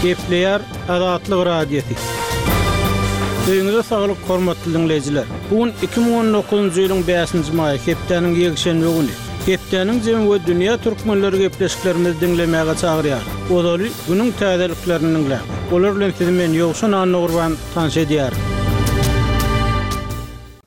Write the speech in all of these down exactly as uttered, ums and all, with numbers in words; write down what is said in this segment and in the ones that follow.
Gepleýär Azatlyk Radiosy. Öýüňize saglyk hormatly dinleýjiler. Bu gün iki müň on dokuzynjy ýylyň bäşinji maýy, hepdäniň ýekşenbe güni. Hepdäniň jemi we dünýä türkmenleri gepleşiklerimizi diňlemäge çagyrýar. Ozaly günüň täzeliklerini diňläň. Olar bilen sizi men Ýowşan Annagurban tanyş edýärin.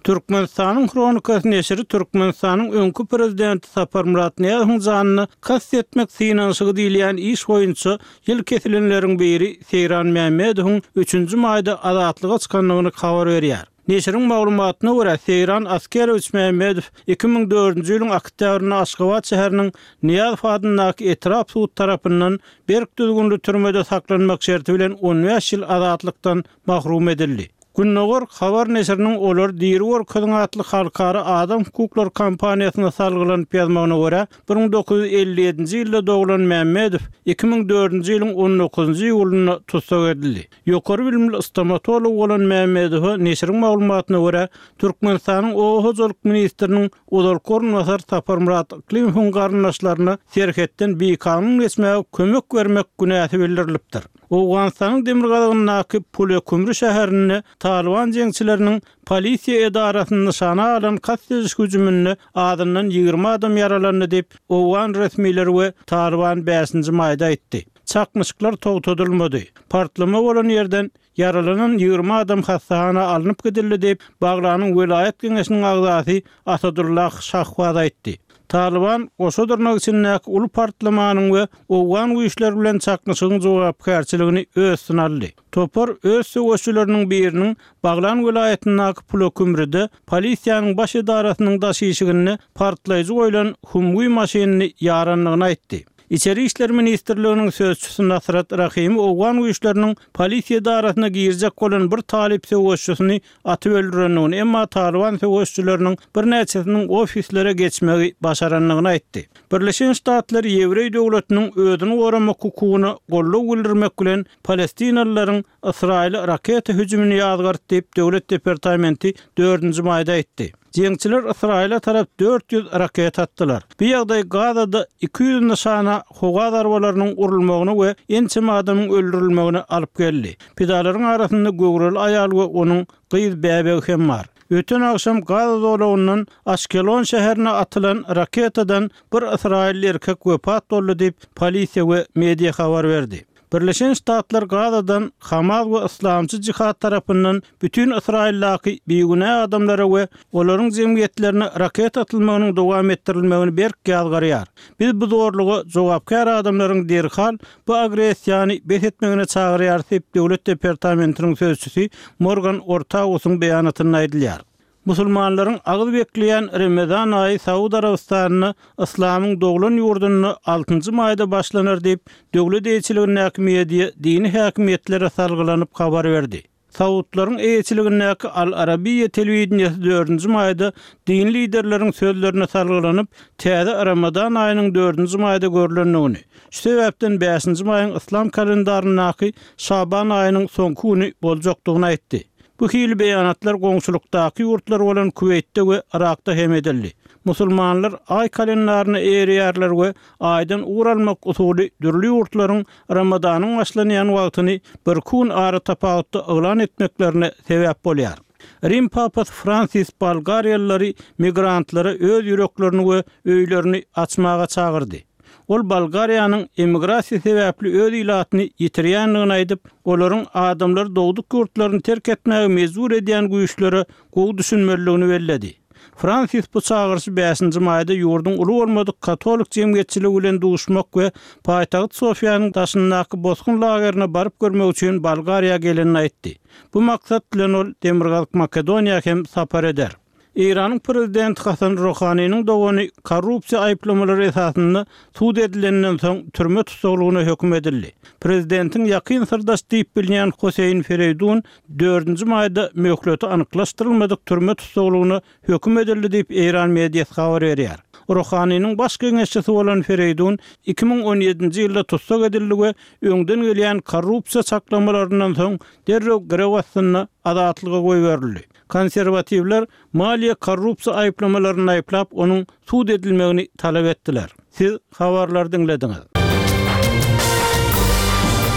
Türkmenistanyň Hronikasy neşiri Türkmenistanyň öňki prezidenti Saparmyrat Nyýazowyň janyna kast etmek synanyşygy diýilýän iş boýunça ýyl kesilenleriň biri Seýran Mämmedowyň üçünji maýda azatlyga çykandygyny habar berýär. Neşiriň maglumatyna görä, Seýran Askerowiç Mämmedow iki müň dördünji ýylyň oktýabrynda Aşgabat şäheriniň Nyýazow adyndaky etrap sud tarapyndan berk düzgünli türmede saklanmak şerti bilen on bäş ýyl azatlykdan mahrum edildi. Gündogar habar neşiriniň Olar diri görkeziň atly halkara adam hukuklary kampaniýasyna salgylanyp ýazmagyna görä, bir müň dokuz ýüz elli ýedinji ýylda doglan Mämmedow iki müň dördünji ýylyň on dokuzynjy iýulynda tussag edildi. Ýokary bilimli stomatolog bolan Mämmedowa neşiriň maglumatyna görä, Türkmenistanyň Oba hojalyk ministriniň ozalky orunbasary Saparmyrat Yklimowyň garyndaşlaryna serhetden bikanun geçmäge kömek bermek günäsi bildirilipdir. Owganystanyň demirgazygyndaky Pulekümri şäherinde Talyban jeňçileriniň polisiýa edarasyny nyşana alan kast ediş hüjüminde azyndan ýigrimi adam ýaralandy diýip, owgan resmileri we Talyban bäşinji maýda aýtdy. Çaknyşyklar togtadylmady. Partlama bolan ýerden ýaralanan ýigrimi adam hassahana alnyp gidildi diýip, Baglanyň welaýat geňeşiniň agzasy Asadullah Şahbaz aýtdy. Talyban goşa dyrnak içindäki uly partlamanyň we owgan güýçleri bilen çaknyşygyň jogapkärçiligini öz üstüne aldy. Topar öz söweşçileriniň biriniň Baglan welaýatyndaky Pulakümrüde polisiýanyň baş edarasynyň daş işiginde partlaýjy goýlan Humvee maşynyny ýarandygyny aýtdy. Içeri işler ministrliginiň sözçüsi Nasrat Rahimi owgan güýçleriniň polisiýa edarasyna girjek bolan bir talyp söweşçisini atyp öldürendigini, emma Talyban söweşçileriniň birnäçesiniň ofislere geçmegi başarandygyny aýtdy. Birleşen Ştatlar Ýewreý döwletiniň özüni goramak hukugyna goldaw bildirmek bilen Palestinalylaryň Ysraýyla raketa hüjümini ýazgardy diýip, Döwlet departamenti dördünji maýda aýtdy. Jeňçiler Ysraýyla tarap dört ýüz raketa atdylar. Bu ýagdaý Gazada iki ýüz nyşana howa zarbalarynyň urulmagyna we ençeme adamyň öldürilmegine alyp geldi. Pidalaryň arasynda göwreli aýal we onuň gyz bäbegi hem bar. Öten agşam Gaza zolagyndan Aşkelon şäherine atylan raketadan bir ysraýylly erkek wepat boldy diýip, polisiýa we media habar berdi. Birleşen Ştatlar Gazadan Hamas we Yslamçy jihad tarapyndan bütün Ysraýyldaky bigünä adamlara we olaryň jemgyýetlerine raketa atylmagynyň dowam etdirilmegini berk ýazgarýar. Biz bu zorluga jogapkär adamlaryň derhal bu agressiýany bes etmegine çagyrýarys diýip, Döwlet departamentiniň sözçüsi Morgan Ortagusyň beýanatynda aýdylýar. Musulmanlaryň agyz bekleýän Ramazan aýy Saud Arabystanynda Yslamyň doglan ýurdunda altynjy maýda başlanar diýip, döwlet eýeçiligindäki media dini häkimiýetlere salgylanyp habar berdi. Saudlaryň eýeçiligindäki Al Arabiýa telewideniýesi dördünji maýda dini liderleriň sözlerine salgylanyp, täze Ramazan aýynyň dördünji maýda görlendigini, şu sebäpden bäşinji maýyň Yslam kalendaryndaky Şaban aýynyň soňky güni boljakdygyny aýtdy. Bu hili beýanatlar goňşulykdaky ýurtlar bolan Kuweýtde we Irakda hem edildi. Musulmanlar aý kalendaryna eýerýärler we aýdan ugur almak usuly dürli ýurtlaryň Ramazanyň başlanýan wagtyny bir gün ara tapawutda yglan etmeklerine sebäp bolýar. Rim papasy Fransis bolgariýalylary migrantlara öz ýüreklerini we öýlerini açmaga çagyrdy. Ol Bolgariýanyň emigrasiýa sebäpli öz ilatyny ýitirýändigini aýdyp, olaryň adamlary dogduk ýurtlaryny terk etmäge mejbur edýän güýçlere gowy düşünmelidigini belledi. Fransis bu çagyryşy bäşinji maýda ýurduň uly bolmadyk katolik jemgyýetçiligi bilen duşmak we paýtagt Sofiýanyň daşyndaky bosgun lagerine baryp görmek üçin Bolgariýa gelenini aýtdy. Bu maksat bilen ol Demirgazyk Makedoniýa hem sapar eder. Eýranyň prezidenti Hasan Rohaniniň dogany korrupsiýa aýyplamalary esasynda sud edilenden soň türme tussaglygyna höküm edildi. Prezidentiň ýakyn syrdaş diýip bilinýän Hüseýin Fereýdun dördünji maýda möhleti anyklaşdyrylmadyk türme tussaglygyna höküm edildi diýip Eýran mediasy habar berýär. Rohaniniň baş geňeşçisi bolan Fereýdun iki müň on ýedinji ýylda tussag edildi we öňden gelýän korrupsiýa çaklamalaryndan soň derrew girew astynda azatlyga goýberildi. Konserwatiwler maliýe korrupsiýa aýyplamalaryny aýyplap, onuň sud edilmegini talap etdiler. Siz habarlary diňlediňiz.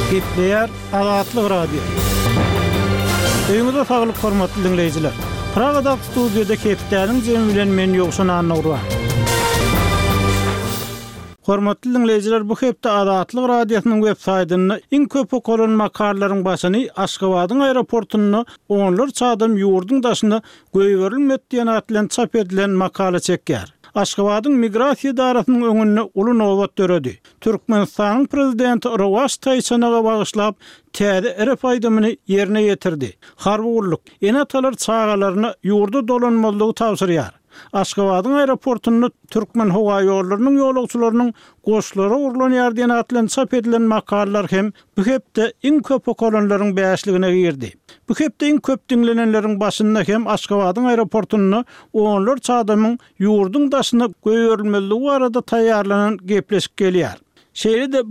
Gepleýär Azatlyk Radiosy. Öýüňize saglyk hormatly diňleýjiler. Pragadaky studiýada hepdäniň jemi bilen men Ýowşan Annagurban. Hormatly diňleýjiler, bu hepde Azatlyk Radiosynyň web saýtynda iň köp okalan makalalaryň başyny Aşgabadyň aeroportunda onlarça adam ýurduň daşyna goýberilmedi diýen at bilen çap edilen makala çekýär. Aşgabadyň migrasiýa edarasynyň öňünde uly nobat döredi. Türkmenistanyň prezidenti Rowaç taýçanaga bagyşlap täze rep aýdymyny ýerine ýetirdi. Harby gulluk ene-atalar çagalaryna ýurda dolanmazlygy tabşyrýar. Aşgabadyň aeroportunda Türkmenhowaýollarynyň ýolagçylarynyň goşlary ogurlanýar diýen at bilen çap edilen makalalar hem bu hepde iň köp okalanlaryň bäşligine girdi. Bu hepde iň köp diňlenenleriň başynda hem Aşgabadyň aeroportunda onlarça adamyň ýurduň daşyna goýberilmezligi barada taýýarlanan gepleşik gelýär. Şeýle-de bu